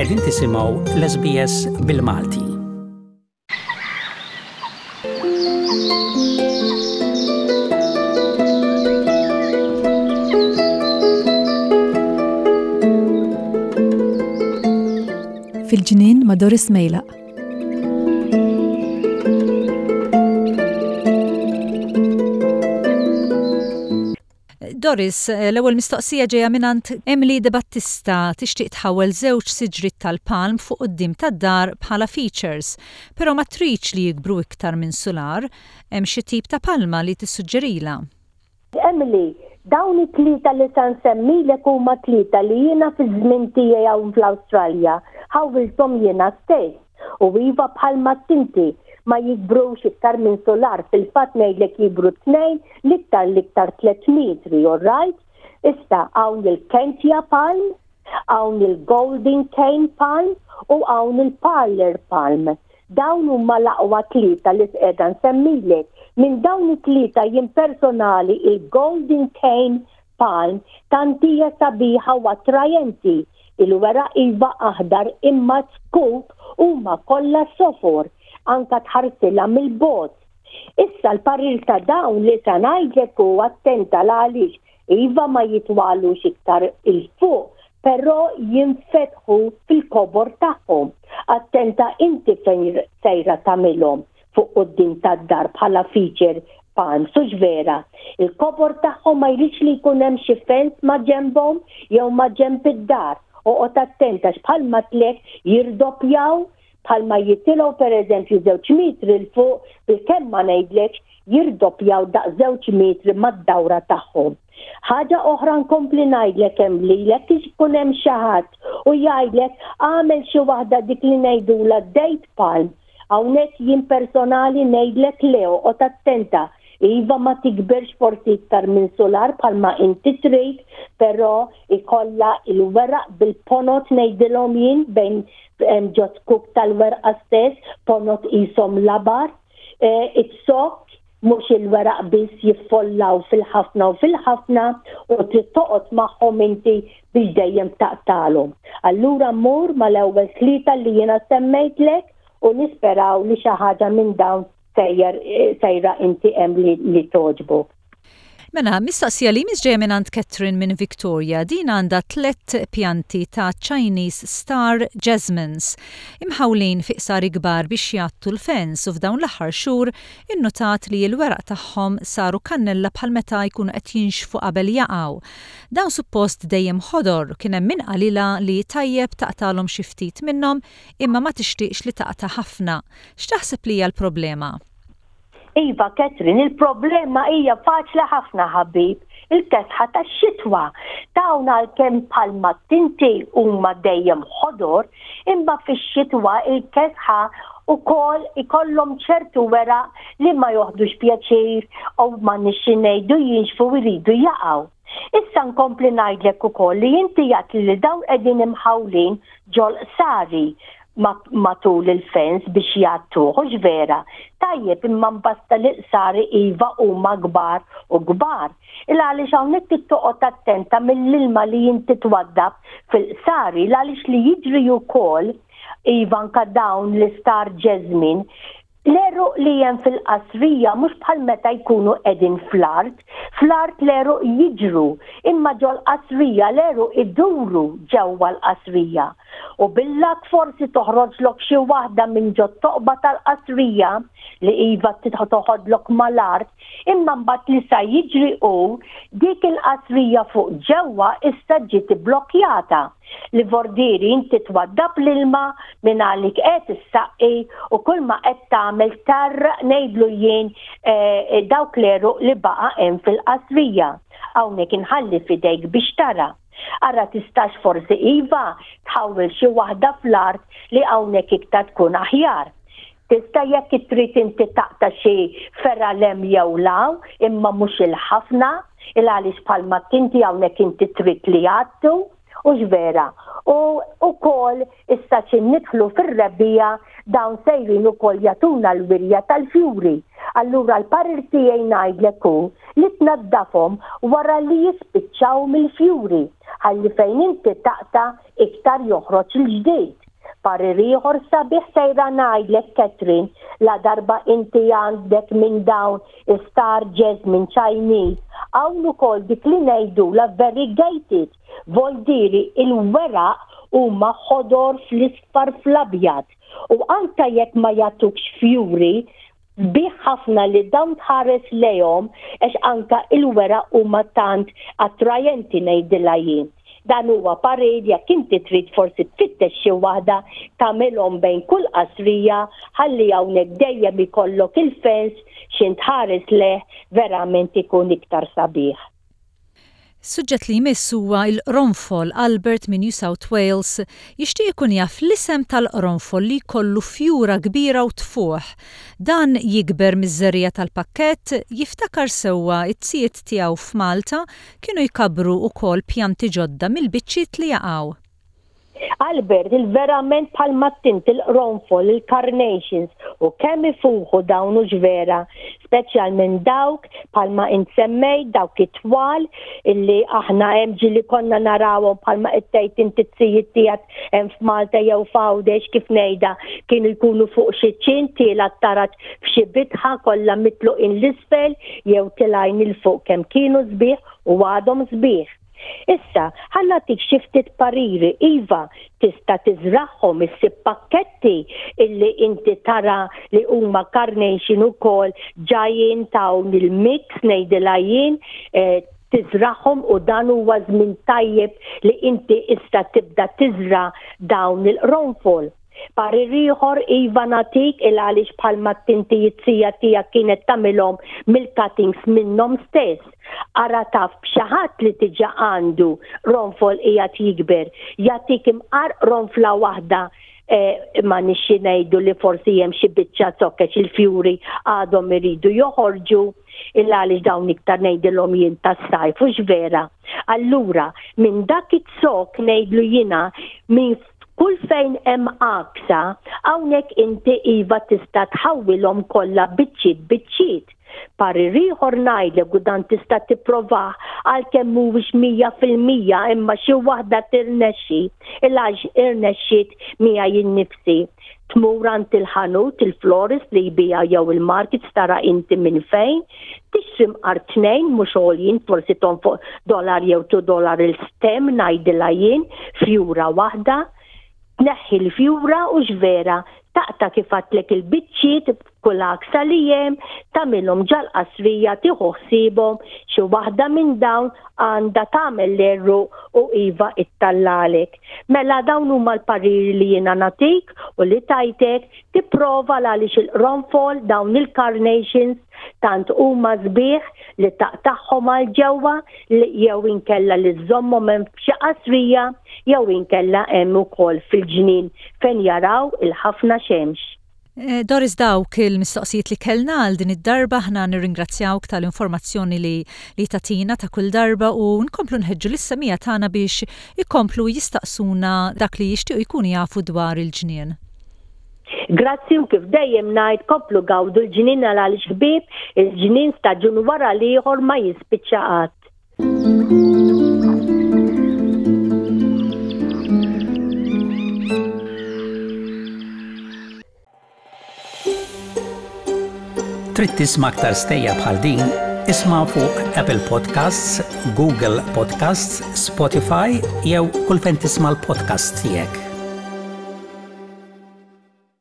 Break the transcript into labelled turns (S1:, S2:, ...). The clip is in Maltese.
S1: Qegħdin tisimgħu l-SBS bil-Malti.
S2: Fil-ġnien ma' Doris Mejlaq.
S3: Doris, l-ewwel mistoqsija ġejja mingħand Emily De Battista tixtieq tħawwel żewġ siġriet tal-palm fuq quddiem tad-dar bħala features, però ma tridx li jikbru iktar minn sular. Hemm xi tip ta' palma li tissuġġerilha?
S4: Emily, dawn it-tlieta li sa nsemmilek huma tlieta li jiena fiż-żmien tiegħi hawn fl-Awstralja ħawwilthom jiena stess. U iva bħalma għedt inti, ma jikbrux iktar minn sular, fil-fatt ngħidlek jikbru tnejn, l-iktar l-iktar tlett metri, all right? Issa hawn il-Kentia palm, hawn il-Golden Cane palm u hawn il-Parlour palm. Dawn huma l-aqwa tlieta li qiegħda nsemmilek. Minn dawn it-tlieta jien personali il-Golden Cane Palm tant hija sabiħa u attrajenti. Il-weraq iva aħdar imma z-zkuk huma kollha sofor, anka tħarsilha mill-bogħod. Issa l-parir ta' dawn li sa ngħidlek hu attenta l-għaliex iva ma jitwalux iktar 'il fuq però jinfetħu fil-kobor tagħhom. Attenta inti fejn sejra tagħmilhom. fuq quddiem tad-dar bħala feature palms, hux vera? Il-kobor tagħhom ma jridx li jkun hemm xi fence ma' ġenbhom jew ma' ġenb id-dar. Oqgħod attent għax bħalma tlek jirdoppjaw, bħalma jitilgħu pereżempju żewġ metri 'l fuq, bilkemm ma ngħidlekx jirdoppjaw daqs żewġ metri mad-dawra tagħhom. Ħaġa oħra nkompli ngħidlek hemm lilek ikun hemm xi ħadd u jgħidlek agħmel xi waħda dik li ngħidulha date palm Hawnhekk jien personali ngħidlek le oqgħod attenta. Iva ma tikberx forsi iktar minn sular bħalma inti trid, però ikollha il-weraq bil-ponot ngħidilhom jien bejn ġo zkuk tal-werqa stess, ponot qishom labar. Iz-zokk mhux il-weraq biss jiffollaw fil-ħafna u fil-ħafna u trid toqgħod magħhom inti biex dejjem taqtagħlhom. Allura mur mal-ewwel tlieta li jiena semmejtlek u nisperaw li xi ħaġa minn dawn sejjer sejra inti hemm li, li togħġbok.
S3: Mela, mistoqsija li jmiss ġejja mingħand Catherine minn Victoria. Din għandha tlett pjanti ta' Chinese Star Jasmines imħawlin fi qsari kbar biex jgħattu l-fence u f'dawn l-aħħar xhur innutat li l-weraq tagħhom saru kannella bħal meta jkunu qed jinxfu qabel jaqgħu. Dawn suppost dejjem ħodor, kien hemm min qalilha li tajjeb taqtagħlhom xi ftit minnhom imma ma tixtieqx li taqta' ħafna. X'taħseb li hija l-problema?
S4: Iva Catherine, il-problema hija faċli ħafna ħabib, il-kesħa tax-xitwa. Dawn għalkemm bħalma tinti huma dejjem ħodor, imma fix-xitwa il-kesħa ukoll ikollhom ċertu weraq li ma joħdux pjaċir u ma nixxi ngħidu jinxfu jridu jaqgħu. Issa nkompli ngħidlek ukoll li inti għedt li dawn qegħdin imħawlin ġol-qsari matul il-fence biex jgħattuh, hux vera? Tajjeb imma mbasta li l-qsari iva huma kbar u kbar. Il għaliex hawnhekk trid toqgħod attenta mill-ilma li inti twaddab fil-qsari, il għaliex li jiġri wkoll iva anka dawn l-istar jasmine, l-għeruq li hemm fil-qasrija mhux bħal meta jkunu qegħdin fl-art, fl-art l-għeruq jiġru, imma ġol-qasrija l-għeruq iduru ġewwa l-qasrija. U bil-luck forsi toħroġlok xi waħda minn ġot-toqba tal-qasrija li iva toħodlok mal-art, imma mbagħad li sa jiġri hu dik il-qasrija fuq ġewwa issa ġiet ibblokkjata. Li vordieri inti twaddab l-ilma minn għalik qed issaqqi u kull ma qed tagħmel tgħarraq ngħidlu jien eh, dawk l-għeruq li baqa' hemm fil-qasrija. Hawnhekk inħalli f'idejk biex tara. Ara tistax forsi iva tħawwel xi waħda fl-art li hawnhekk iktar tkun aħjar. Tista' jekk trid inti taqta' xi fergħa 'l hemm jew 'l hawn, imma mhux il-ħafna, il għaliex bħalma inti hawnhekk inti trid li jgħattu, hux vera? U wkoll issa xi nidħlu fir-rebbiegħa dawn sejrin ukoll jagħtuna l-wirja tal-fjuri. Allura l-parir tiegħi ngħidlek hu li tnaddafhom wara li jispiċċaw mill-fjuri. Ħalli fejn inti taqta' iktar joħroġ il-ġdid. Parir ieħor sabiħ sejra ngħidlek Catherine, ladarba inti għandek minn dawn is-star jasmine Chinese, hawn ukoll dik li ngħidulha variegated, voldieri il-weraq huma ħodor fl-isfar fl-abjad u anke jekk ma jagħtukx fjuri, Sbieħ ħafna li dawn tħares lejhom għax anka il-weraq huma tant attrajenti ngħidilha jien. Dan huwa parir jekk inti trid forsi tfittex xi waħda tagħmilhom bejn kull qasrija ħalli hawnhekk dejjem ikollok il-fence x'int tħares lejh verament ikun iktar sabiħ.
S3: Is-suġġett li jmiss huwa l-qronfol. Albert minn New South Wales jixtieq ikun jaf l-isem tal-qronfol li jkollu fjura kbira u tfuħ. Dan jikber miż-żerriegħa tal-pakkett, jiftakar sewwa t-tzijiet tiegħu f'Malta kienu jkabbru wkoll pjanti ġodda mill-biċċiet li jaqgħu.
S4: Albert, il-verament bħal mat-tint, il-qronfol, il-carnations u kemm ifuħu dawn hux vera, speċjalment dawk bħalma int semmejt dawk it-twal illi aħna hemm ġieli konna narawhom bħalma qed tgħid inti t-tzijiet tiegħek hemm f'Malta jew f'Għawdex kif ngħidha kienu jkunu fuq xi ċint tiela' t-taraġ f'xi bitħa kollha mitluqin l-isfel jew tilgħin 'il fuq kemm kienu sbieħ u għadhom sbieħ. Issa, ħa nagħtik xi ftit pariri, iva, tista' tiżragħhom, issib pakketti illi inti tara li huma carnation ukoll ġajin dawn il-mix ngħidilha jien, eh, tiżragħhom u dan huwa żmien tajjeb li inti issa tibda tiżra' dawn il-qronfol. Parir ieħor iva nagħtik il għaliex bħalma t-tinti it-zija tiegħek kienet tagħmilhom mill-cuttings minnhom stess. Ara taf b'xi ħadd li diġà għandu qronfol qiegħed jikber, jagħtik imqar qronfla waħda eh, ma nixxi ngħidu li forsi hemm xi biċċa zokkex il-fjuri għadhom iridu joħorġu il għaliex dawn iktar ngħidilhom jien tas-sajf hux vera. Allura, minn dak it-zokk ngħidlu jiena minn Kull fejn hemm għaksa, hawnhekk inti iva tista' tħawwilhom kollha biċċiet biċċiet. Parir ieħor ngħidlek u dan tista' tipprovah għalkemm mhuwiex 100% imma xi waħda tirnexxi, il-għax irnexxiet miegħi innifsi. Tmur għand il-ħanut, il-florist li jbigħ jew il-markets tara inti minn fejn, tixtri mqar tnejn mhux għoljin forsi tonfoq dollar jew two dollar il-stem ngħidilha jien, fjura waħda, tneħħi l-fjura u x'vera, taqta' kif għadtlek il-biċċiet b'kull għaksa li hemm, tagħmilhom ġal-qasrija tieħu ħsiebhom, xi waħda minn dawn għandha tagħmel l-għeruq u iva ittallalek. Mela dawn huma l-pariri li jiena nagħtik u li tajtek, tipprova l-għaliex il-qronfol, dawn il-carnations tant huma sbieħ li taqtagħhom għal ġewwa jew inkella li żżommhom hemm f'xi qasrija jew inkella hemm ukoll fil-ġnien fejn jaraw il-ħafna xemx.
S3: Eh, Doris dawk il-mistoqsijiet li kellna għal din id-darba aħna nirringrazzjawk tal-informazzjoni li li tatina ta' kull darba u nkomplu nħeġġu lis-semija tagħna biex ikomplu jistaqsuna dak li jixtiequ jkunu jafu dwar il-ġnien.
S4: Grazzi u kif dejjem ngħid komplu gawdu l-ġnien għal għaliex ħbieb, il-ġnien staġun wara l-ieħor ma jispiċċa qatt.
S1: Trid tisma' aktar stejjer bħal din? Isma' fuq Apple Podcasts, Google Podcasts, Spotify jew kull fejn tisma' l-podcasts tiegħek.